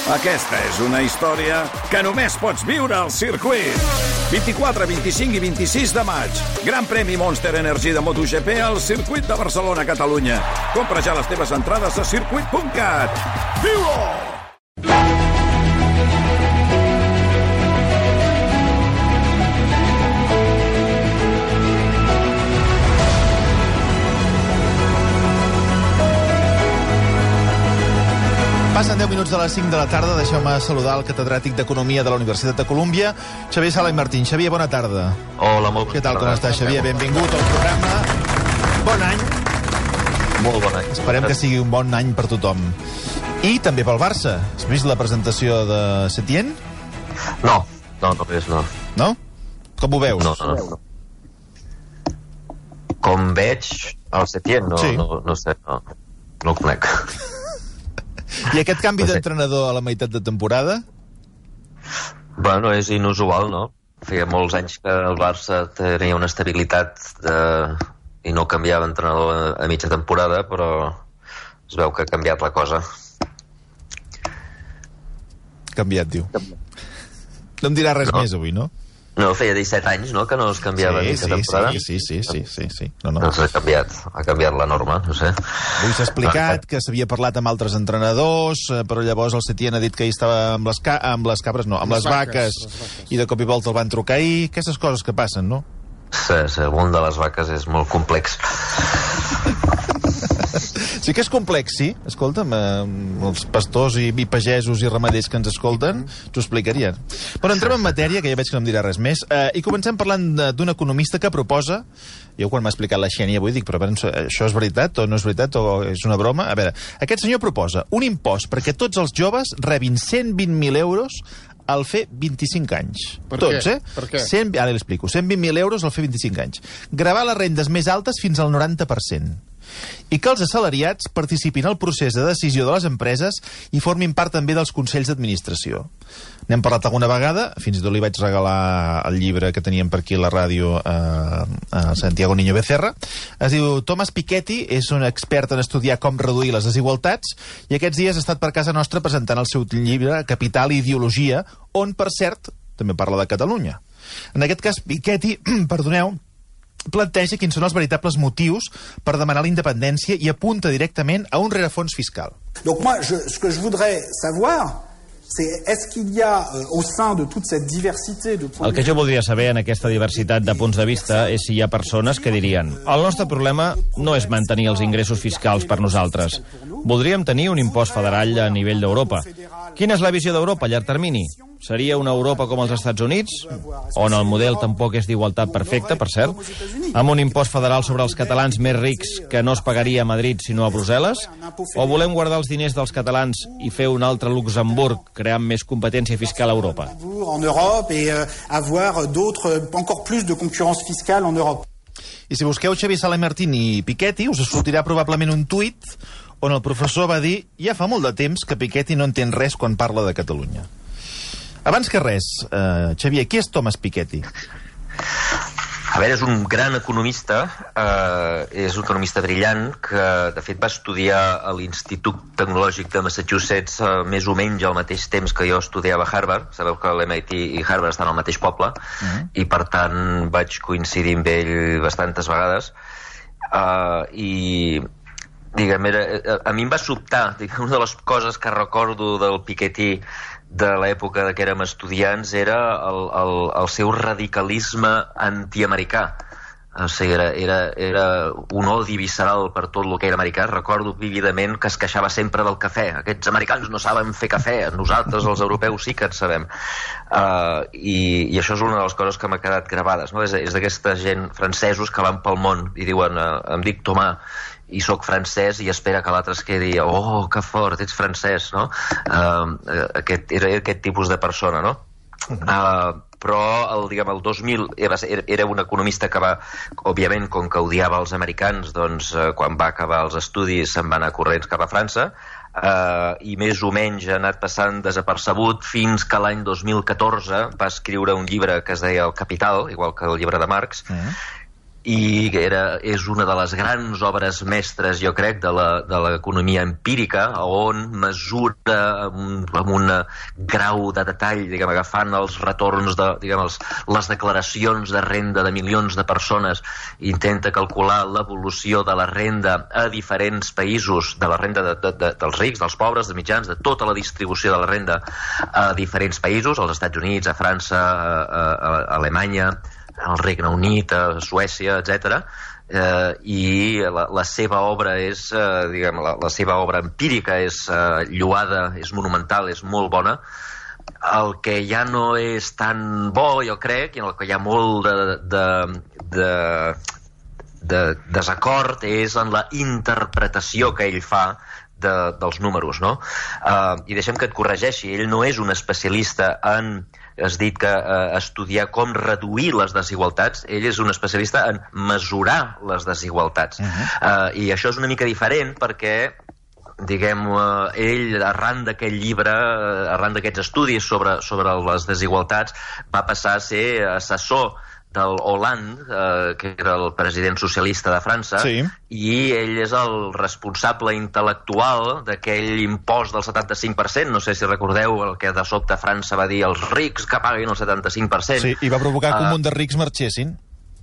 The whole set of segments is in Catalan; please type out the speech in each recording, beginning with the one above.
Aquesta és una història que només pots viure al circuit. 24, 25 i 26 de maig. Gran premi Monster Energy de MotoGP al circuit de Barcelona, Catalunya. Compra ja les teves entrades a circuit.cat. Viu-ho! Passen 10 minuts de les 5 de la tarda. Deixeu-me saludar el catedràtic d'Economia de la Universitat de Colúmbia, Xavier Sala i Martín. Xavier, bona tarda. Hola, molt bona tarda. Què tal, com estàs, Xavier? Benvingut al programa. Bon any. Molt bon any. Esperem que sigui un bon any per tothom. I també pel Barça. Has vist la presentació de Setién? No és, no. No? Com ho veus? No. Com veig el Setién? Sí. No sé, no el conec. I aquest canvi d'entrenador a la meitat de temporada? Bueno, és inusual, no? Feia molts anys que el Barça tenia una estabilitat i no canviava entrenador a mitja temporada, però es veu que ha canviat la cosa. Canviat, diu. No em dirà res més avui, no? No, feia 17 anys, no?, que no es canviava mitja temporada. Sí. No. Doncs ha canviat la norma, no sé. Avui s'ha explicat que s'havia parlat amb altres entrenadors, però llavors el Setién ha dit que hi estava amb les vaques, i de cop i volta el van trucar ahir. Aquestes coses que passen, no? Sí, el món de les vaques és molt complex. Sí que és complex, sí. Escolta'm, els pastors i pagesos i ramaders que ens escolten t'ho explicarien. Però entrem en matèria, que ja veig que no em dirà res més, i comencem parlant d'un economista que proposa, jo quan m'ha explicat la Xènia avui dic, però això és veritat o no és veritat o és una broma? A veure, aquest senyor proposa un impost perquè tots els joves rebin 120.000 euros al fer 25 anys. Tots, Per què? Ara l'explico. 120.000 euros al fer 25 anys. Gravar les rendes més altes fins al 90%. I que els assalariats participin al procés de decisió de les empreses i formin part també dels consells d'administració. N'hem parlat alguna vegada, fins i tot li vaig regalar el llibre que teníem per aquí a la ràdio a Santiago Niño Becerra. Es diu Thomas Piketty, és un expert en estudiar com reduir les desigualtats, i aquests dies ha estat per casa nostra presentant el seu llibre Capital i Ideologia, on, per cert, també parla de Catalunya. En aquest cas, Piketty, planteja quins són els veritables motius per demanar la independència i apunta directament a un rerefons fiscal. Donc moi, ce que je voudrais savoir, c'est est-ce qu'il y a au sein de toute cette diversité de points de vue... El que jo voldria saber en aquesta diversitat de punts de vista és si hi ha persones que dirien el nostre problema no és mantenir els ingressos fiscals per nosaltres. Voldríem tenir un impost federal a nivell d'Europa. Quina és la visió d'Europa a llarg termini? Seria una Europa com els Estats Units, on el model tampoc és d'igualtat perfecta, per cert, amb un impost federal sobre els catalans més rics que no es pagaria a Madrid sinó a Brussel·les? O volem guardar els diners dels catalans i fer un altre Luxemburg creant més competència fiscal a Europa? En Europe et avoir d'autres, encore plus de concurrence fiscale en Europe. I si busqueu Xavier Sala i Martín i Piketty, us sortirà probablement un tuit on el professor va dir ja fa molt de temps que Piketty no entén res quan parla de Catalunya. Abans que res, Xavier, qui és Thomas Piketty? A veure, és un gran economista, és un economista brillant que, de fet, va estudiar a l'Institut Tecnològic de Massachusetts més o menys al mateix temps que jo estudiava a Harvard. Sabeu que l'MIT i Harvard estan al mateix poble, i, per tant, vaig coincidir amb ell bastantes vegades. I, diguem, a mi em va sobtar, una de les coses que recordo del Piketty de l'època que érem estudiants era el seu radicalisme antiamericà. O sigui, era un odi visceral per tot el que era americà. Recordo vívidament que es queixava sempre del cafè. Aquests americans no saben fer cafè, nosaltres els europeus sí que en sabem. I això és una de les coses que m'ha quedat gravades, no? És d'aquesta gent francesos que van pel món i diuen em dic Tomàs i sóc francès i espera que l'altre es quedi oh, que fort, ets francès, no? Era aquest tipus de persona, no? Però el 2000 era un economista que va, òbviament, com que odiava els americans, doncs quan va acabar els estudis se'n va anar corrents cap a França, i més o menys ha anat passant desapercebut fins que l'any 2014 va escriure un llibre que es deia El Capital, igual que el llibre de Marx, i és una de les grans obres mestres, jo crec, de l'economia empírica, on mesura amb un grau de detall, diguem, agafant els retorns, les declaracions de renda de milions de persones, intenta calcular l'evolució de la renda a diferents països, de la renda dels rics, dels pobres, dels mitjans, de tota la distribució de la renda a diferents països, als Estats Units, a França, a Alemanya, al Regne Unit, a Suècia, etc. I la seva obra és, diguem, la seva obra empírica és lloada, és monumental, és molt bona. El que ja no és tan bo, jo crec, i en el que hi ha molt de desacord, és en la interpretació que ell fa dels números, no? I deixem que et corregeixi, ell no és un especialista en, has dit que estudiar com reduir les desigualtats, ell és un especialista en mesurar les desigualtats. I això és una mica diferent perquè, diguem, ell, arran d'aquest llibre, arran d'aquests estudis sobre les desigualtats, va passar a ser assessor del Hollande, que era el president socialista de França, sí. I ell és el responsable intel·lectual d'aquell impost del 75%. No sé si recordeu el que de sobte França va dir als rics que paguin el 75%. Sí, i va provocar que un munt de rics marxessin.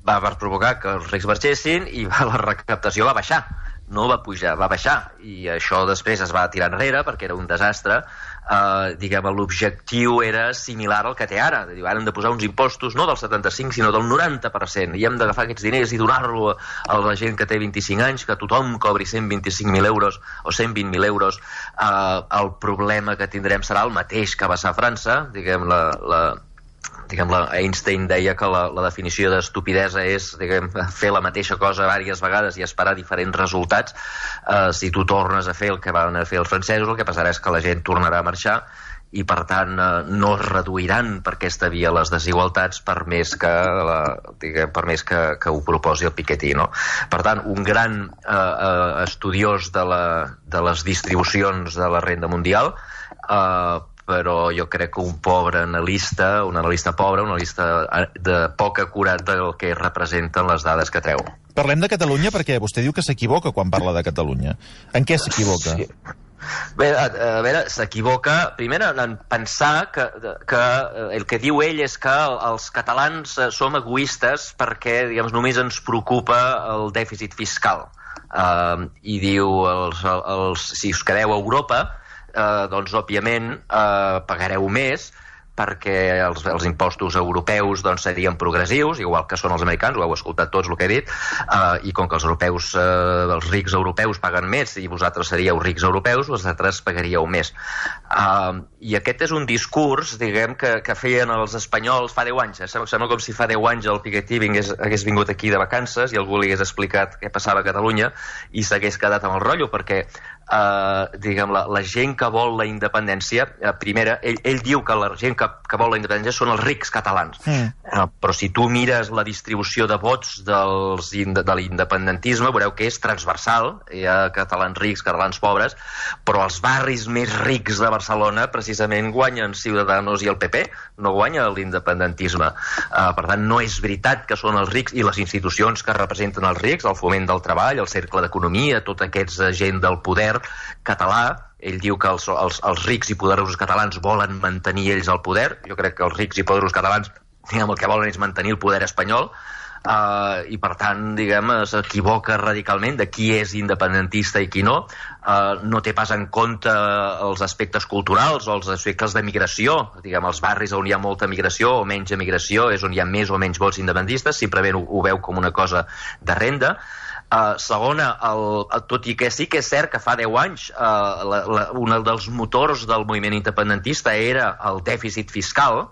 Va provocar que els rics marxessin i la recaptació va baixar. No va pujar, va baixar. I això després es va tirar enrere perquè era un desastre. Diguem, l'objectiu era similar al que té ara. Ara hem de posar uns impostos no del 75 sinó del 90%, i hem d'agafar aquests diners i donar-lo a la gent que té 25 anys, que tothom cobri 125.000 euros o 120.000 euros. El problema que tindrem serà el mateix que va ser a França. Diguem, Einstein deia que la definició d'estupidesa és, diguem, fer la mateixa cosa diverses vegades i esperar diferents resultats. Si tu tornes a fer el que van fer els francesos, el que passarà és que la gent tornarà a marxar i, per tant, no es reduiran per aquesta via les desigualtats per més que ho proposi el Piketty, no? Per tant, un gran estudiós de les distribucions de la renda mundial, però jo crec que un analista pobre, un analista de poc acurat del que representen les dades que treu. Parlem de Catalunya perquè vostè diu que s'equivoca quan parla de Catalunya. En què s'equivoca? Sí. Bé, a veure, s'equivoca primer en pensar que el que diu ell és que els catalans som egoistes perquè, diguem, només ens preocupa el dèficit fiscal. I diu, si us quedeu a Europa, doncs, òbviament, pagareu més perquè els impostos europeus doncs, serien progressius, igual que són els americans, ho heu escoltat tots el que he dit, i com que els rics europeus paguen més i vosaltres seríeu rics europeus, vosaltres pagaríeu més. I aquest és un discurs, diguem, que feien els espanyols fa 10 anys. Sembla com si fa 10 anys el Piketty hagués vingut aquí de vacances i algú li hagués explicat què passava a Catalunya i s'hagués quedat amb el rotllo, perquè diguem, la gent que vol la independència, primera, ell diu que la gent que vol la independència són els rics catalans, però si tu mires la distribució de vots de l'independentisme veureu que és transversal. Hi ha catalans rics, catalans pobres, però els barris més rics de Barcelona precisament guanyen Ciudadanos i el PP, no guanya l'independentisme. Per tant, no és veritat que són els rics i les institucions que representen els rics, el Foment del Treball, el Cercle d'Economia, tots aquests gent del poder català. Ell diu que els rics i poderosos catalans volen mantenir ells el poder. Jo crec que els rics i poderosos catalans, diguem, el que volen és mantenir el poder espanyol, i per tant, diguem, s'equivoca radicalment de qui és independentista i qui no. No té pas en compte els aspectes culturals o els aspectes de migració. Diguem, els barris on hi ha molta migració o menys emigració és on hi ha més o menys vots independentistes, simplement ho veu com una cosa de renda. Segona, tot i que sí que és cert que fa 10 anys un dels motors del moviment independentista era el dèficit fiscal,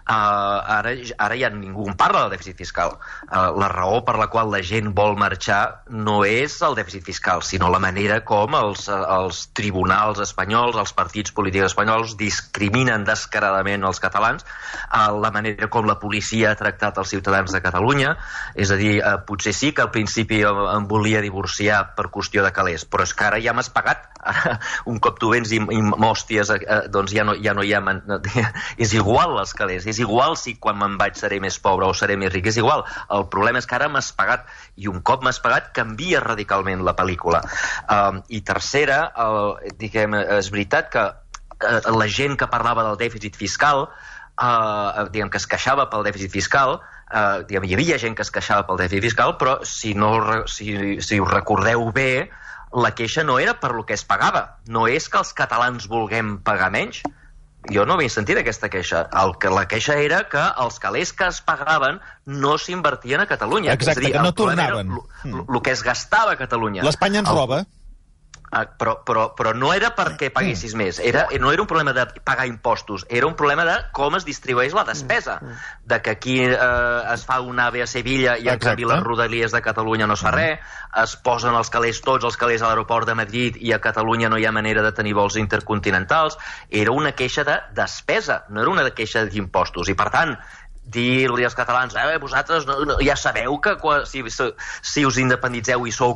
ara ja ningú en parla del dèficit fiscal. La raó per la qual la gent vol marxar no és el dèficit fiscal, sinó la manera com els tribunals espanyols, els partits polítics espanyols discriminen descaradament els catalans, la manera com la policia ha tractat els ciutadans de Catalunya. És a dir, potser sí que al principi em volia divorciar per qüestió de calés, però és que ara ja m'has pagat. Un cop tu vens i m'hòsties, doncs ja no hi ha... És igual els calés, és igual si quan me'n vaig seré més pobre o seré més ric, és igual. El problema és que ara m'has pagat, i un cop m'has pagat canvia radicalment la pel·lícula. I tercera, és veritat que la gent que parlava del dèficit fiscal, que es queixava pel dèficit fiscal, hi havia gent que es queixava pel dèficit fiscal, però si us recordeu bé, la queixa no era per lo que es pagava, no és que els catalans vulguem pagar menys. Jo no havia sentit aquesta queixa. La queixa era que els calés que es pagaven no s'invertien a Catalunya. Exacte, que no tornaven. El que es gastava a Catalunya. L'Espanya ens roba. Però no era perquè paguessis més, no era un problema de pagar impostos, era un problema de com es distribueix la despesa, de que aquí es fa un AVE a Sevilla i en canvi les rodalies de Catalunya no es fa res, es posen els calés, tots els calés a l'aeroport de Madrid i a Catalunya no hi ha manera de tenir vols intercontinentals. Era una queixa de despesa, no era una queixa d'impostos, i per tant dir-li als catalans, vosaltres ja sabeu que si us independitzeu i sou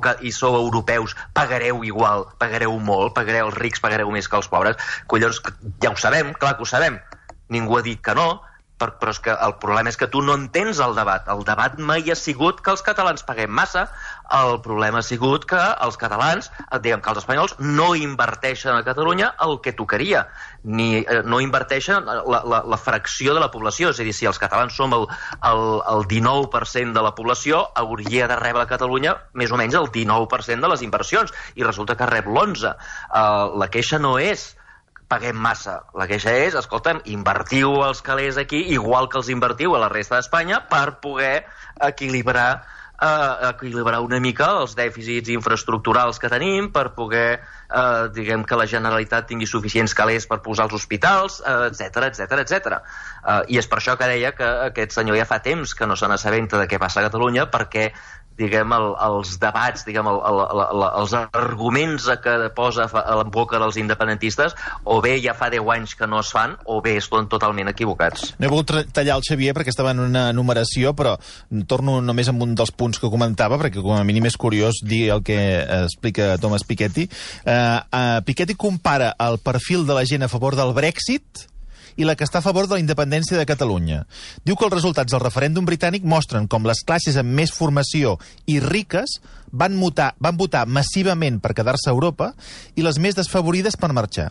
europeus pagareu igual, pagareu molt, els rics pagareu més que els pobres. Collons, ja ho sabem, clar que ho sabem, ningú ha dit que no, però és que el problema és que tu no entens el debat. El debat mai ha sigut que els catalans paguem massa, el problema ha sigut que els catalans, diguem que els espanyols no inverteixen a Catalunya el que tocaria, ni no inverteixen la fracció de la població. És a dir, si els catalans som el 19% de la població, hauria de rebre a Catalunya més o menys el 19% de les inversions, i resulta que rep l'11%. La queixa no és paguem massa. La queixa és, escolta'm, invertiu els calés aquí igual que els invertiu a la resta d'Espanya per poder equilibrar una mica els dèficits infraestructurals que tenim, per poder, diguem, que la Generalitat tingui suficients calés per posar als hospitals, etc. I és per això que deia que aquest senyor ja fa temps que no se n'assabenta de què passa a Catalunya, perquè diguem, els debats, diguem, els arguments que posa a la boca dels independentistes, o bé ja fa 10 anys que no es fan, o bé estan totalment equivocats. No he volgut tallar el Xavier perquè estava en una enumeració, però torno només amb un dels punts que comentava, perquè com a mínim és curiós dir el que explica Thomas Piketty. Piketty compara el perfil de la gent a favor del Brexit i la que està a favor de la independència de Catalunya. Diu que els resultats del referèndum britànic mostren com les classes amb més formació i riques van votar massivament per quedar-se a Europa i les més desfavorides per marxar.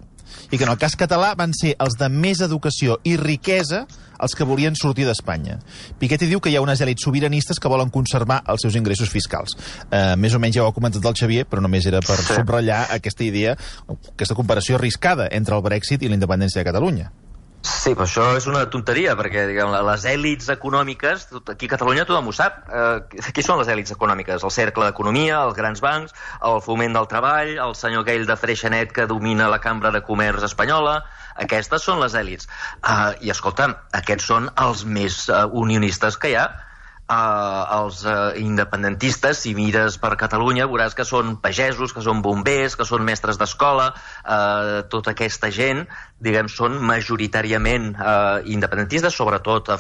I que en el cas català van ser els de més educació i riquesa els que volien sortir d'Espanya. Piketty diu que hi ha unes èlits sobiranistes que volen conservar els seus ingressos fiscals. Més o menys ja ho ha comentat el Xavier, però només era per subratllar aquesta idea, aquesta comparació arriscada entre el Brexit i la independència de Catalunya. Sí, però això és una tonteria, perquè diguem, les èlits econòmiques, aquí a Catalunya tothom ho sap. Qui són les èlits econòmiques? El cercle d'economia, els grans bancs, el foment del treball, el senyor aquell de Freixenet que domina la Cambra de Comerç espanyola. Aquestes són les èlits. I escolta'm, aquests són els més unionistes que hi ha. Els independentistes, si mires per Catalunya, veuràs que són pagesos, que són bombers, que són mestres d'escola, tota aquesta gent, diguem, són majoritàriament independentistes, sobretot a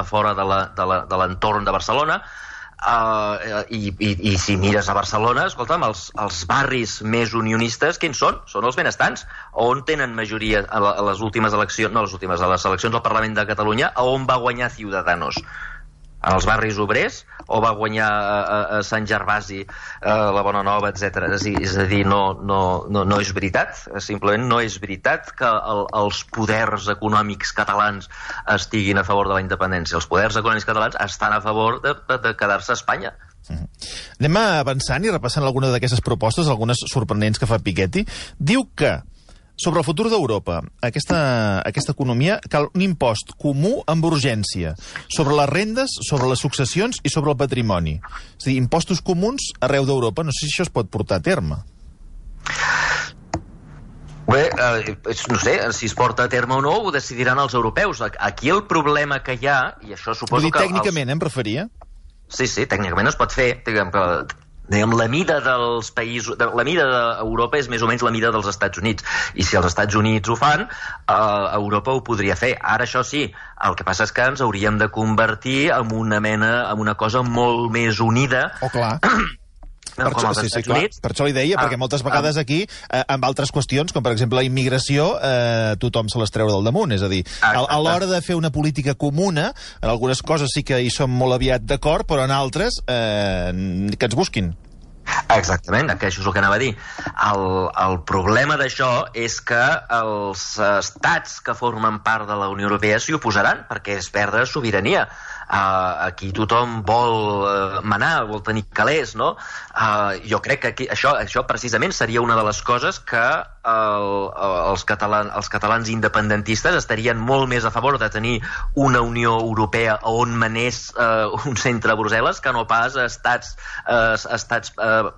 fora de l'entorn de Barcelona. I si mires a Barcelona, escolta'm, els barris més unionistes, quins són? Són els benestants. On tenen majoria a les últimes eleccions, no a les últimes, a les eleccions al Parlament de Catalunya, on va guanyar Ciudadanos? En els barris obrers, o va guanyar a Sant Gervasi, la Bona Nova, etc. És a dir, no és veritat, simplement no és veritat que els poders econòmics catalans estiguin a favor de la independència. Els poders econòmics catalans estan a favor de quedar-se a Espanya. Anem avançant i repassant alguna d'aquestes propostes, algunes sorprenents que fa Piketty. Diu que sobre el futur d'Europa, aquesta economia, cal un impost comú amb urgència sobre les rendes, sobre les successions i sobre el patrimoni. És a dir, impostos comuns arreu d'Europa. No sé si això es pot portar a terme. Bé, no sé, si es porta a terme o no, ho decidiran els europeus. Aquí el problema que hi ha, i això suposo que... Tècnicament, em referia? Sí, tècnicament es pot fer. Diguem, la mida dels països, la mida d'Europa és més o menys la mida dels Estats Units, i si els Estats Units ho fan, Europa ho podria fer. Ara, això sí, el que passa és que ens hauríem de convertir en una cosa molt més unida. Oh, clar. No, com els Estats Units. Per això li deia, perquè moltes vegades aquí, amb altres qüestions, com per exemple la immigració, tothom se les treu del damunt. És a dir, a l'hora de fer una política comuna, en algunes coses sí que hi som molt aviat d'acord, però en altres que ens busquin. Exactament, que això és el que anava a dir. El problema d'això és que els estats que formen part de la Unió Europea s'hi oposaran, perquè és perdre sobirania. Aquí tothom vol manar, vol tenir calés, no? Jo crec que aquí, això precisament seria una de les coses que els catalans independentistes estarien molt més a favor de tenir una Unió Europea on manés un centre a Brussel·les que no pas estats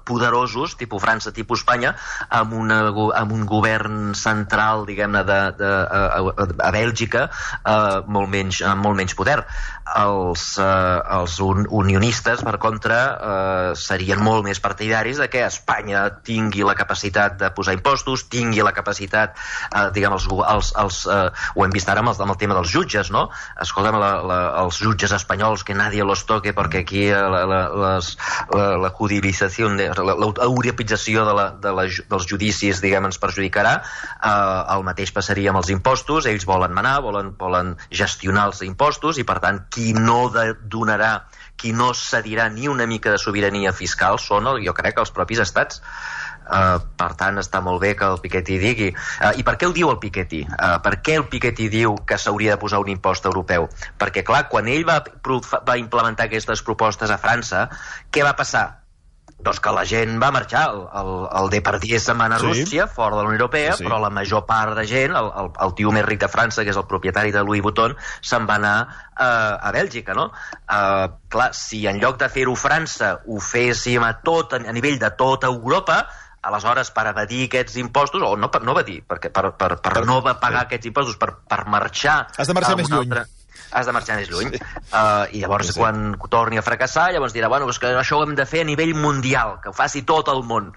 poderosos, tipus França, tipus Espanya, amb un govern central, diguem-ne, a Bèlgica, molt menys poder. Els unionistes, per contra, serien molt més partidaris de que Espanya tingui la capacitat de posar impostos, tingui la capacitat, diguem, ho hem vist ara amb el tema dels jutges, no? Escolta'm, els jutges espanyols, que nadie los toque, perquè aquí la judicialització, l'europeïtzació dels judicis, diguem, ens perjudicarà. El mateix passaria amb els impostos. Ells volen manar, volen gestionar els impostos, i per tant qui no donarà, qui no cedirà ni una mica de sobirania fiscal són, jo crec, els propis estats. Per tant, està molt bé que el Piketty digui. I per què ho diu el Piketty? Per què el Piketty diu que s'hauria de posar un impost europeu? Perquè, clar, quan ell va implementar aquestes propostes a França, què va passar? Doncs que la gent va marxar. El Depardieu se'n va anar a Rússia, fora de la Unió Europea, però la major part de gent, el tio més ric de França, que és el propietari de Louis Vuitton, se'n va anar a Bèlgica, no? Clar, si en lloc de fer-ho França ho féssim a nivell de tota Europa, aleshores, per evadir aquests impostos, o no evadir, perquè per no pagar aquests impostos, per marxar... Has de marxar més lluny. Has de marxar més lluny. I llavors, quan torni a fracassar, llavors dirà, bueno, és que això ho hem de fer a nivell mundial, que ho faci tot el món.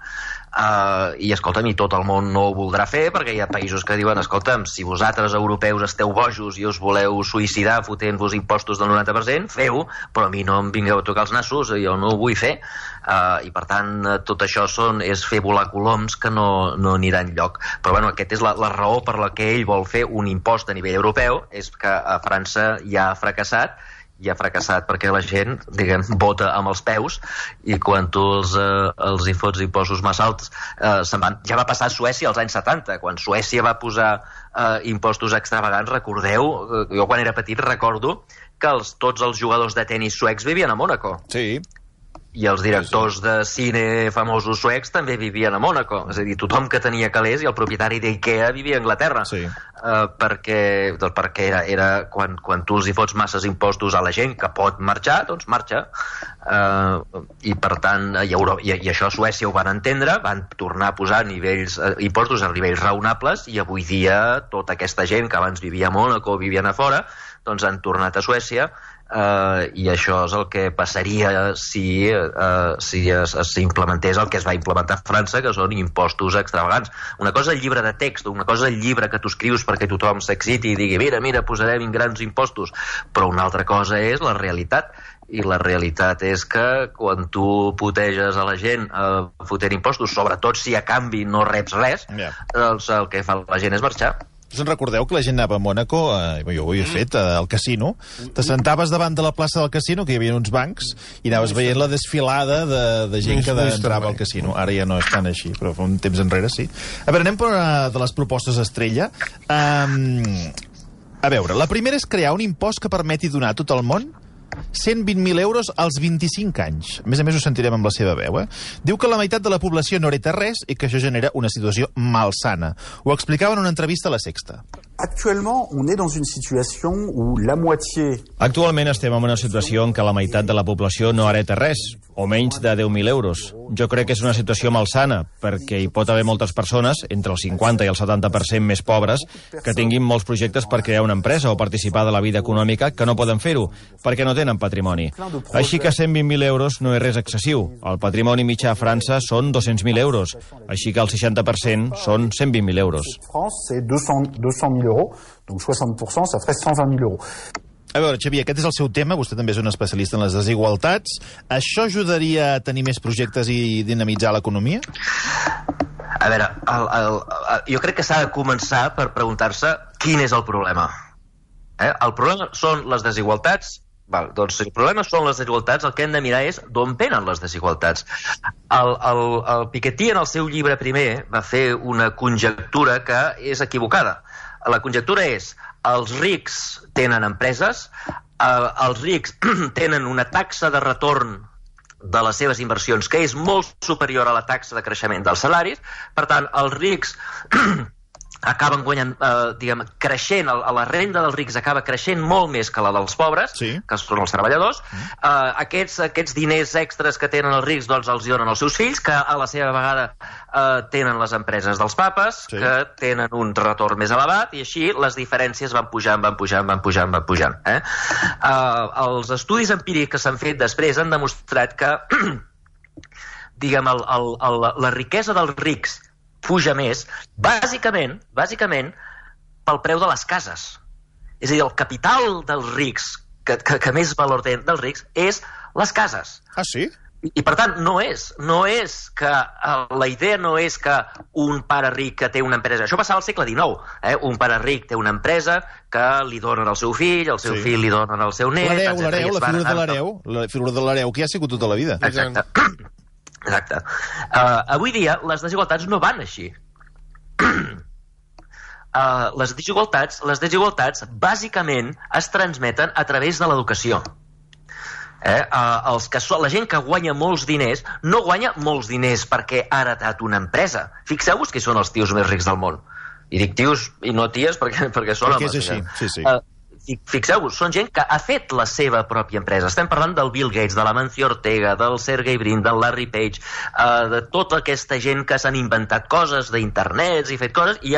I escolta'm, i tot el món no ho voldrà fer, perquè hi ha països que diuen, escolta'm, si vosaltres europeus esteu bojos i us voleu suïcidar fotent-vos impostos del 90%, feu, però a mi no em vingueu a tocar els nassos, jo no ho vull fer. I per tant, tot això és fer volar coloms que no anirà enlloc. Però bueno, aquesta és la raó per la que ell vol fer un impost a nivell europeu, és que a França ja ha fracassat, perquè la gent, diguem, vota amb els peus, i quan tu els hi fots impostos massa alts se'n van. Ja va passar a Suècia als anys 70, quan Suècia va posar impostos extravagants. Recordeu, jo quan era petit recordo que tots els jugadors de tenis suecs vivien a Mònaco. Sí. I els directors de cine famosos suecs també vivien a Mònaco. És a dir, tothom que tenia calés, i el propietari d'Ikea vivia a Anglaterra. Sí. Perquè era quan tu els hi fots masses impostos a la gent que pot marxar, doncs marxa. I per tant, i això a Suècia ho van entendre, van tornar a posar impostos a nivells raonables, i avui dia tota aquesta gent que abans vivia a Mònaco o vivien a fora, doncs han tornat a Suècia. I això és el que passaria si s'implementés el que es va implementar a França, que són impostos extravagants. Una cosa és el llibre de text, una cosa és el llibre que tu escrius perquè tothom s'exciti i digui mira, posarem grans impostos, però una altra cosa és la realitat. I la realitat és que quan tu puteges a la gent fotent impostos, sobretot si a canvi no reps res, doncs el que fa la gent és marxar. Us en recordeu que la gent anava a Mònaco, jo ho he fet, al casino, te sentaves davant de la plaça del casino, que hi havia uns bancs, i anaves veient la desfilada de gent que entrava al casino. Ara ja no és tan així, però fa un temps enrere sí. A veure, anem per una de les propostes estrella. A veure, la primera és crear un impost que permeti donar a tot el món 120.000 euros als 25 anys. A més, ho sentirem amb la seva veu. Diu que la meitat de la població no hereta res i que això genera una situació malsana. Ho explicava en una entrevista a La Sexta. Actuellement, on est dans une situation où la moitié... Actualment estem en una situació en què la meitat de la població no hereta res, o menys de 10.000 euros. Jo crec que és una situació malsana, perquè hi pot haver moltes persones, entre el 50 i el 70% més pobres, que tinguin molts projectes per crear una empresa o participar de la vida econòmica que no poden fer-ho, perquè no tenen patrimoni. Així que 120.000 euros no és res excessiu. El patrimoni mitjà a França són 200.000 euros, així que el 60% són 120.000 euros. France, c'est 200.000 euros, donc 60%, ça ferait 120.000 euros. A veure, Xavier, aquest és el seu tema, vostè també és un especialista en les desigualtats. Això ajudaria a tenir més projectes i dinamitzar l'economia? A veure, jo crec que s'ha de començar per preguntar-se quin és el problema. El problema són les desigualtats. Doncs si el problema són les desigualtats, el que hem de mirar és d'on venen les desigualtats. El Piketty, en el seu llibre primer, va fer una conjectura que és equivocada. La conjectura és: els rics tenen empreses, els rics tenen una taxa de retorn de les seves inversions que és molt superior a la taxa de creixement dels salaris. Per tant, els rics acaben guanyant, creixent, la renda dels rics acaba creixent molt més que la dels pobres, que són els treballadors. Aquests diners extras que tenen els rics, doncs els donen als seus fills, que a la seva vegada tenen les empreses dels papes, que tenen un retorn més elevat, i així les diferències van pujant. Els estudis empírics que s'han fet després han demostrat que la riquesa dels rics puja més, bàsicament pel preu de les cases. És a dir, el capital dels rics, que més valor té dels rics, és les cases. Ah, sí? I per tant, no és que la idea no és que un pare ric que té una empresa, això passava al segle XIX, un pare ric té una empresa que li donen al seu fill, el seu fill li donen al seu net... L'hereu, la figura de l'hereu, que hi ha sigut tota la vida. Exacte. Avui dia les desigualtats no van així. Les desigualtats bàsicament es transmeten a través de l'educació. La gent que guanya molts diners no guanya molts diners perquè ha heretat una empresa. Fixeu-vos qui són els tios més rics del món. I dic tios i no ties perquè són homes. Perquè és així, sí. Fixeu-vos, són gent que ha fet la seva pròpia empresa. Estem parlant del Bill Gates, de l'Amancio Ortega, del Sergey Brin, del Larry Page, de tota aquesta gent que s'han inventat coses d'internets i fet coses i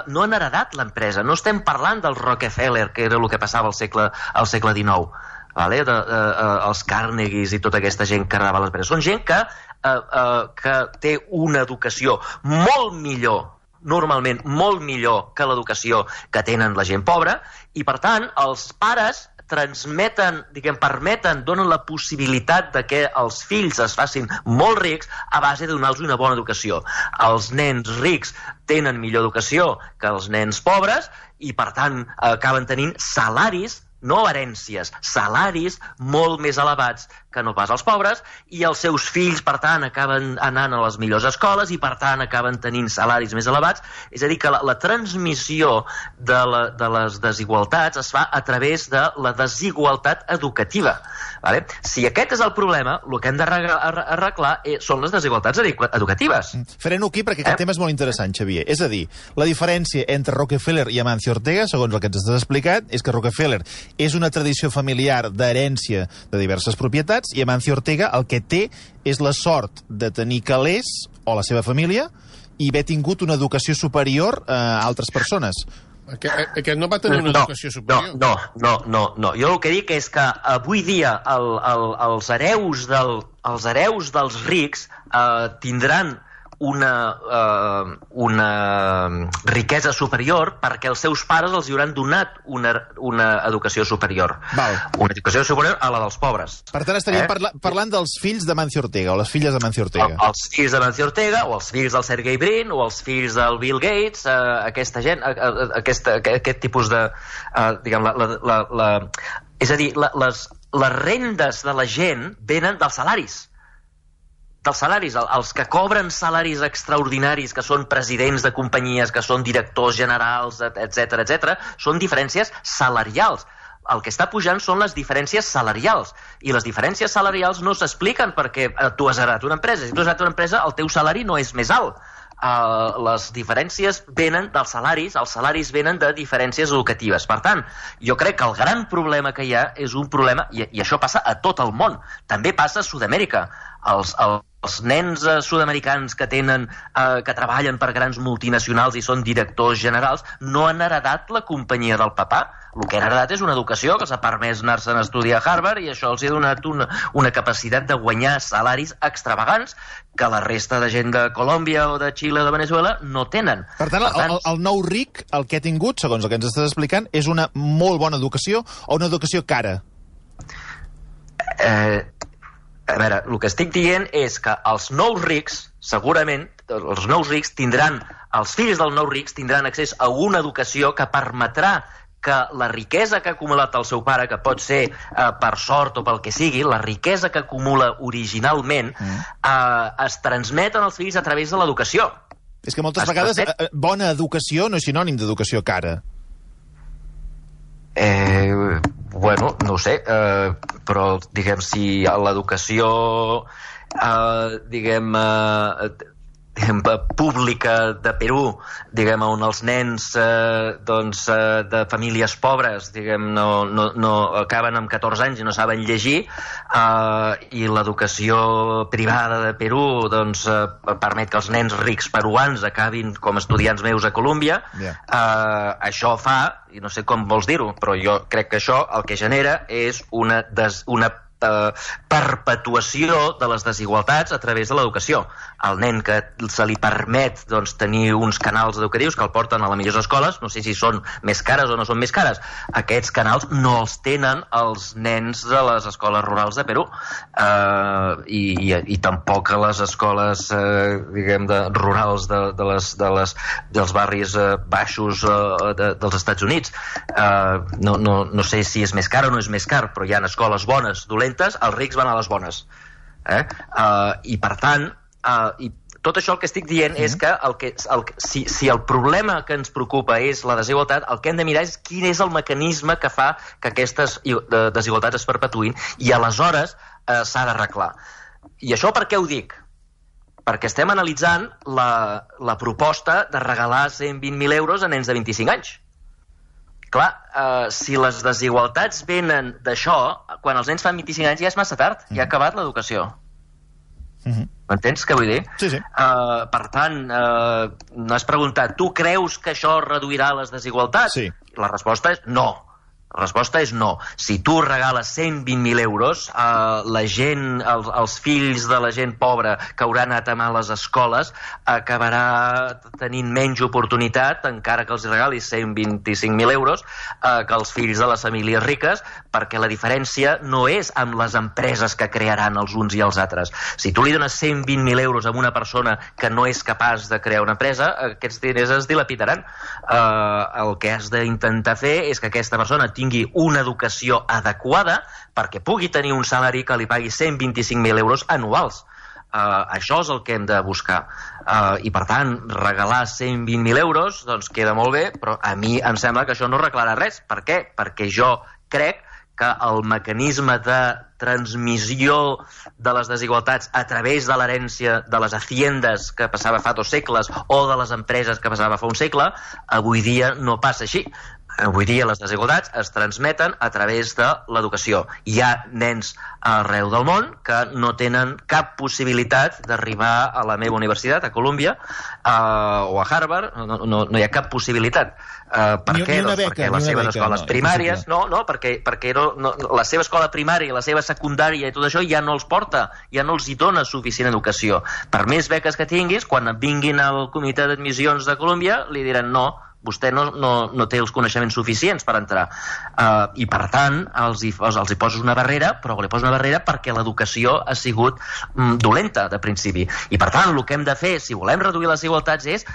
no han heredat l'empresa. No estem parlant del Rockefeller, que era el que passava al segle XIX, els Carnegies i tota aquesta gent que heredava l'empresa. Són gent que té una educació molt millor, normalment molt millor que l'educació que tenen la gent pobra, i per tant els pares transmeten, permeten, donen la possibilitat de que els fills es facin molt rics a base de donar-los una bona educació. Els nens rics tenen millor educació que els nens pobres i per tant acaben tenint salaris, no herències, salaris molt més elevats que no pas els pobres, i els seus fills, per tant, acaben anant a les millors escoles i, per tant, acaben tenint salaris més elevats. És a dir, que la transmissió de les desigualtats es fa a través de la desigualtat educativa. Si aquest és el problema, el que hem d'arreglar són les desigualtats educatives. Freno aquí perquè aquest tema és molt interessant, Xavier. És a dir, la diferència entre Rockefeller i Amancio Ortega, segons el que ens has explicat, és que Rockefeller és una tradició familiar d'herència de diverses propietats, i Amancio Ortega el que té és la sort de tenir calés, o la seva família, i haver tingut una educació superior a altres persones. Aquest no va tenir una educació superior. No. Jo el que dic és que avui dia els hereus dels rics tindran una riquesa superior perquè els seus pares els hauran donat una educació superior. Una educació superior a la dels pobres. Per tant, estaríem parlant dels fills d'Amancio Ortega o les filles d'Amancio Ortega. Els fills d'Amancio Ortega o els fills del Sergey Brin o els fills del Bill Gates, aquesta gent, aquest tipus de... És a dir, les rendes de la gent venen dels salaris. Els que cobren salaris extraordinaris, que són presidents de companyies, que són directors generals, etc., són diferències salarials. El que està pujant són les diferències salarials, i les diferències salarials no s'expliquen perquè tu has heretat una empresa. Si tu has heretat una empresa, el teu salari no és més alt. Les diferències venen dels salaris, els salaris venen de diferències educatives. Per tant, jo crec que el gran problema que hi ha és un problema, i això passa a tot el món, també passa a Sud-amèrica. els nens sud-americans que treballen per grans multinacionals i són directors generals no han heredat la companyia del papà. El que han heredat és una educació que els ha permès anar-se'n a estudiar a Harvard i això els ha donat una capacitat de guanyar salaris extravagants que la resta de gent de Colòmbia o de Xile o de Venezuela no tenen. Per tant, el nou ric, el que ha tingut, segons el que ens estàs explicant, és una molt bona educació o una educació cara? A veure, el que estic dient és que els nous rics, segurament, els nous rics tindran, els fills dels nous rics tindran accés a una educació que permetrà que la riquesa que ha acumulat el seu pare, que pot ser per sort o pel que sigui, la riquesa que acumula originalment es transmet als fills a través de l'educació. És que moltes vegades bona educació no és sinònim d'educació cara. Bueno, no ho sé, però diguem, si l'educació pública de Perú, diguem, on els nens de famílies pobres, diguem, no acaben amb 14 anys i no saben llegir, i l'educació privada de Perú permet que els nens rics peruans acabin com estudiants meus a Colòmbia, això fa, i no sé com vols dir-ho, però jo crec que això el que genera és una perpetuació de les desigualtats a través de l'educació. El nen que se li permet tenir uns canals educatius que el porten a les millors escoles, no sé si són més cares o no són més cares, aquests canals no els tenen els nens de les escoles rurals de Perú, i tampoc a les escoles rurals dels barris baixos dels Estats Units. No sé si és més car o no és més car, però hi ha escoles bones, dolentes, els rics van a les bones. I per tant, tot això el que estic dient és que si el problema que ens preocupa és la desigualtat, el que hem de mirar és quin és el mecanisme que fa que aquestes desigualtats es perpetuïn, i aleshores s'ha d'arreglar. I això per què ho dic? Perquè estem analitzant la proposta de regalar 120.000 euros a nens de 25 anys. Clar, si les desigualtats venen d'això, quan els nens fan 25 anys ja és massa tard, ja ha acabat l'educació. M'entens què vull dir? Sí, sí. Per tant, m'has preguntat, tu creus que això reduirà les desigualtats? Sí. La resposta és no. La resposta és no. Si tu regales 120.000 euros, la gent, els fills de la gent pobra que haurà anat a males escoles acabarà tenint menys oportunitat, encara que els regalis 125.000 euros, que els fills de les famílies riques, perquè la diferència no és amb les empreses que crearan els uns i els altres. Si tu li dones 120.000 euros a una persona que no és capaç de crear una empresa, aquests diners es dilapidaran. El que has d'intentar fer és que aquesta persona tingui una educació adequada perquè pugui tenir un salari que li pagui 125.000 euros anuals. Això és el que hem de buscar. I per tant, regalar 120.000 euros doncs queda molt bé, però a mi em sembla que això no arreglarà res. Per què? Perquè jo crec que el mecanisme de transmissió de les desigualtats a través de l'herència de les haciendes que passava fa 2 segles o de les empreses que passava fa un segle, avui dia no passa així. Avui dia les desigualtats es transmeten a través de l'educació. Hi ha nens arreu del món que no tenen cap possibilitat d'arribar a la meva universitat, a Colòmbia, o a Harvard, no hi ha cap possibilitat. Per què? Perquè les seves escoles primàries... perquè la seva escola primària i la seva secundària i tot això ja no els porta, ja no els hi dona suficient educació. Per més beques que tinguis, quan vinguin al comitè d'admissions de Colòmbia, li diran no, vostè no té els coneixements suficients per entrar. I per tant els hi poses una barrera, però li poses una barrera perquè l'educació ha sigut dolenta de principi. I per tant el que hem de fer, si volem reduir les desigualtats, és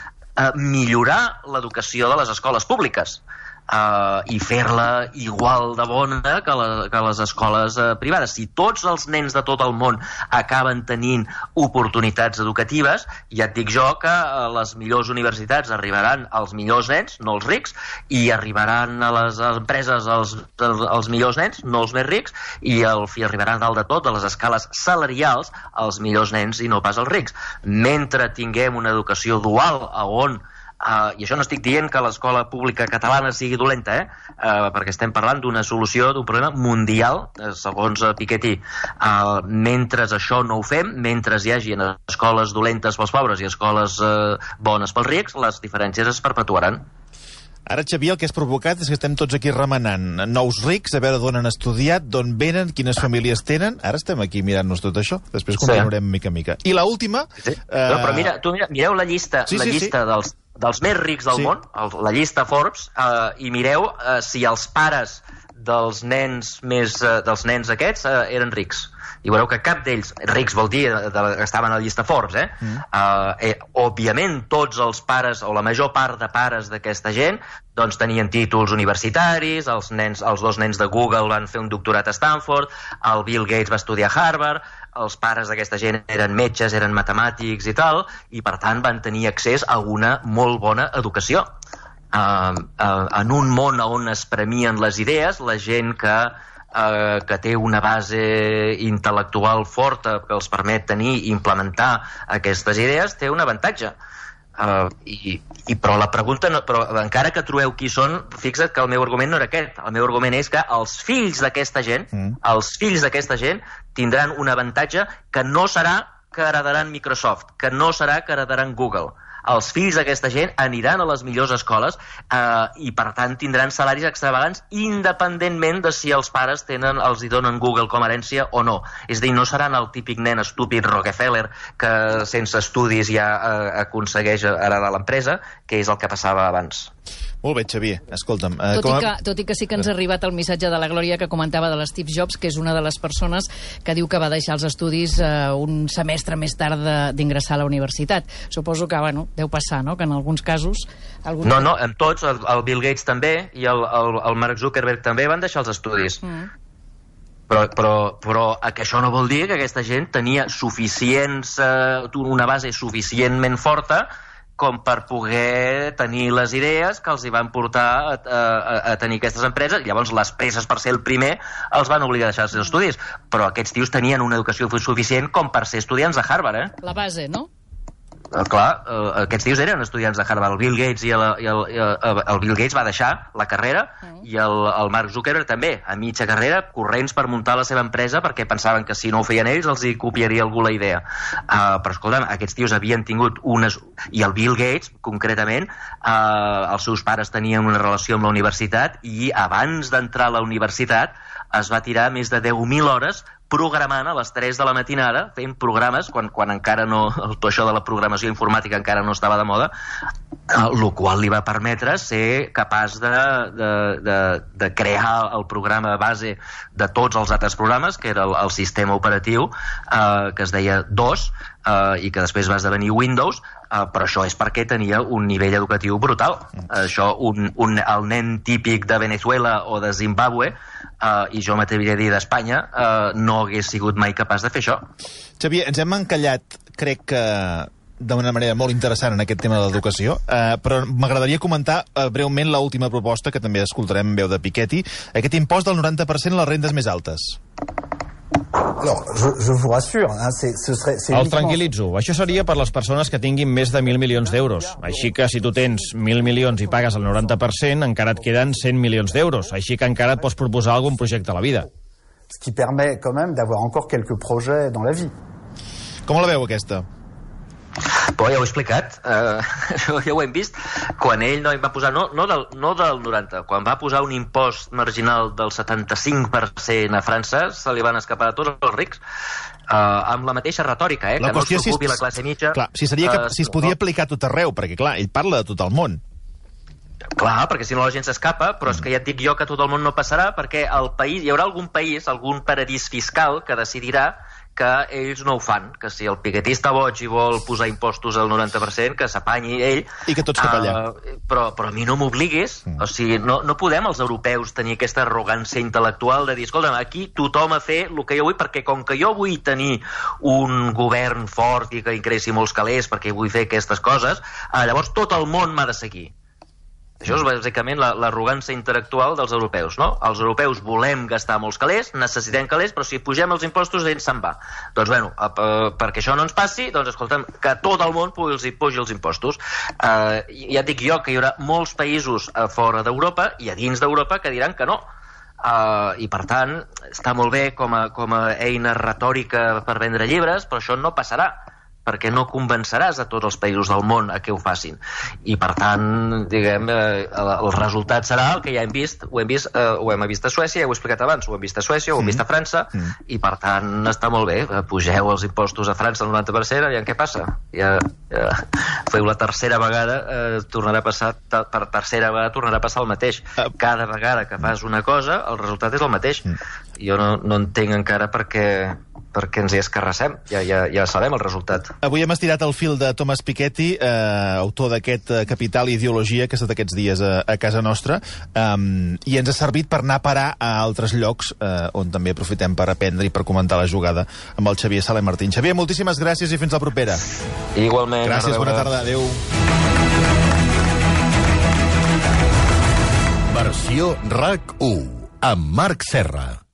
millorar l'educació de les escoles públiques i fer-la igual de bona que les escoles privades. Si tots els nens de tot el món acaben tenint oportunitats educatives, ja et dic jo que les millors universitats arribaran als millors nens, no els rics, i arribaran a les empreses els millors nens, no els més rics, i arribaran dalt de tot, a les escales salarials, els millors nens i no pas els rics. Mentre tinguem una educació dual on I això no estic dient que l'escola pública catalana sigui dolenta, perquè estem parlant d'una solució d'un problema mundial, segons Piketty. Mentre això no ho fem, mentre hi hagi escoles dolentes pels pobres i escoles bones pels rics, les diferències es perpetuaran. Ara, Xavier, el que has provocat és que estem tots aquí remenant nous rics, a veure d'on han estudiat, d'on venen, quines famílies tenen. Ara estem aquí mirant-nos tot això. Després continuarem mica a mica. I l'última... Sí. Però mireu la llista, dels més rics del món, la llista Forbes, i mireu si els pares dels nens aquests eren rics. I veureu que cap d'ells, rics vol dir que estaven a la llista Forbes, òbviament tots els pares, o la major part de pares d'aquesta gent, doncs tenien títols universitaris, els dos nens de Google van fer un doctorat a Stanford, el Bill Gates va estudiar a Harvard, els pares d'aquesta gent eren metges, eren matemàtics i tal, i per tant van tenir accés a una molt bona educació. En un món on es premien les idees, la gent que té una base intel·lectual forta que els permet tenir i implementar aquestes idees, té un avantatge. Però la pregunta, però encara que trobeu qui són, fixa't que el meu argument no era aquest. El meu argument és que els fills d'aquesta gent tindran un avantatge que no serà que heredaran Microsoft, que no serà que heredaran Google. Els fills d'aquesta gent aniran a les millors escoles i per tant tindran salaris extravagants independentment de si els pares els hi donen Google com a herència o no. És a dir, no seran el típic nen estúpid Rockefeller que sense estudis ja aconsegueix heredar l'empresa, que és el que passava abans. Molt bé, Xavier, escolta'm... Tot i que sí que ens ha arribat el missatge de la Glòria que comentava de l'Steve Jobs, que és una de les persones que diu que va deixar els estudis un semestre més tard d'ingressar a la universitat. Suposo que, deu passar, no?, que en alguns casos... No, en tots, el Bill Gates també i el Mark Zuckerberg també van deixar els estudis. Però que això no vol dir que aquesta gent tenia una base suficientment forta com per poder tenir les idees que els hi van portar a tenir aquestes empreses. Llavors les presses per ser el primer els van obligar a deixar els seus estudis, però aquests tios tenien una educació suficient com per ser estudiants de Harvard, La base, no? Clar, aquests tios eren estudiants de Harvard. El Bill Gates el Bill Gates va deixar la carrera i el Mark Zuckerberg també, a mitja carrera, corrents per muntar la seva empresa perquè pensaven que si no ho feien ells els hi copiaria algú la idea. Però escolta'm, aquests tios havien tingut i el Bill Gates, concretament, els seus pares tenien una relació amb la universitat i abans d'entrar a la universitat es va tirar més de 10.000 hores programant a les 3 de la matinada, fent programes, quan encara no, això de la programació informàtica encara no estava de moda, el qual li va permetre ser capaç de crear el programa base de tots els altres programes, que era el sistema operatiu, que es deia DOS, i que després va esdevenir Windows, però això és perquè tenia un nivell educatiu brutal. Això, el nen típic de Venezuela o de Zimbabue, i jo m'atreviria a dir d'Espanya, no hagués sigut mai capaç de fer això. Xavier, ens hem encallat, crec que d'una manera molt interessant en aquest tema de l'educació, però m'agradaria comentar breument l'última proposta, que també escoltarem en veu de Piketty, aquest impost del 90% a les rendes més altes. Alors, je vous rassure, Els tranquil·litzo. Això seria per les persones que tinguin més de 1.000 milions d'euros. Així que si tu tens 1.000 milions i pagues el 90%, encara et queden 100 milions d'euros. Així que encara et pots proposar algun projecte a la vida. Ce qui permet quand même d'avoir encore quelques projets dans la vie. Com la veu, aquesta? Però ja ho he explicat, ja ho hem vist. Quan ell va posar, no del 90, quan va posar un impost marginal del 75% a França, se li van escapar a tots els rics, amb la mateixa retòrica, que no es preocupi la classe mitja. Clar, si es podia aplicar a tot arreu, perquè clar, ell parla de tot el món. Clar, perquè si no la gent s'escapa, però és que ja et dic jo que tot el món no passarà, perquè hi haurà algun país, algun paradís fiscal que decidirà que ells no ho fan, que si el Piketty està boig i vol posar impostos al 90%, que s'apanyi ell. I que tots cap allà. Però a mi no m'obliguis. O sigui, no podem els europeus tenir aquesta arrogància intel·lectual de dir, escolta'm, aquí tothom a fer el que jo vull, perquè com que jo vull tenir un govern fort i que ingressi molts calés perquè vull fer aquestes coses, llavors tot el món m'ha de seguir. Això és bàsicament l'arrogància intel·lectual dels europeus, no? Els europeus volem gastar molts calés, necessitem calés, però si pugem els impostos, ells se'n va. Doncs, bueno, perquè això no ens passi, doncs, escolta'm, que tot el món pugi els impostos. Ja et dic jo que hi haurà molts països fora d'Europa i a dins d'Europa que diran que no. I, per tant, està molt bé com a eina retòrica per vendre llibres, però això no passarà, perquè no convenceràs a tots els països del món a què ho facin. I, per tant, diguem, el resultat serà el que ja hem vist. Ho hem vist a Suècia, ja ho he explicat abans, ho hem vist a Suècia, ho hem vist a França, i, per tant, està molt bé. Pugeu els impostos a França al 90%, aviam què passa. Ja feu la tercera vegada, tornarà a passar el mateix. Cada vegada que fas una cosa, el resultat és el mateix. Jo no entenc encara per què ens hi escarrassem. Ja sabem el resultat. Avui hem estirat el fil de Thomas Piketty, autor d'aquest Capital i Ideologia, que ha estat aquests dies a casa nostra, i ens ha servit per anar a parar a altres llocs on també aprofitem per aprendre i per comentar la jugada amb el Xavier Sala i Martín. Xavier, moltíssimes gràcies i fins la propera. Igualment. Gràcies, bona tarda. Adéu. Versió RAC 1 amb Marc Serra.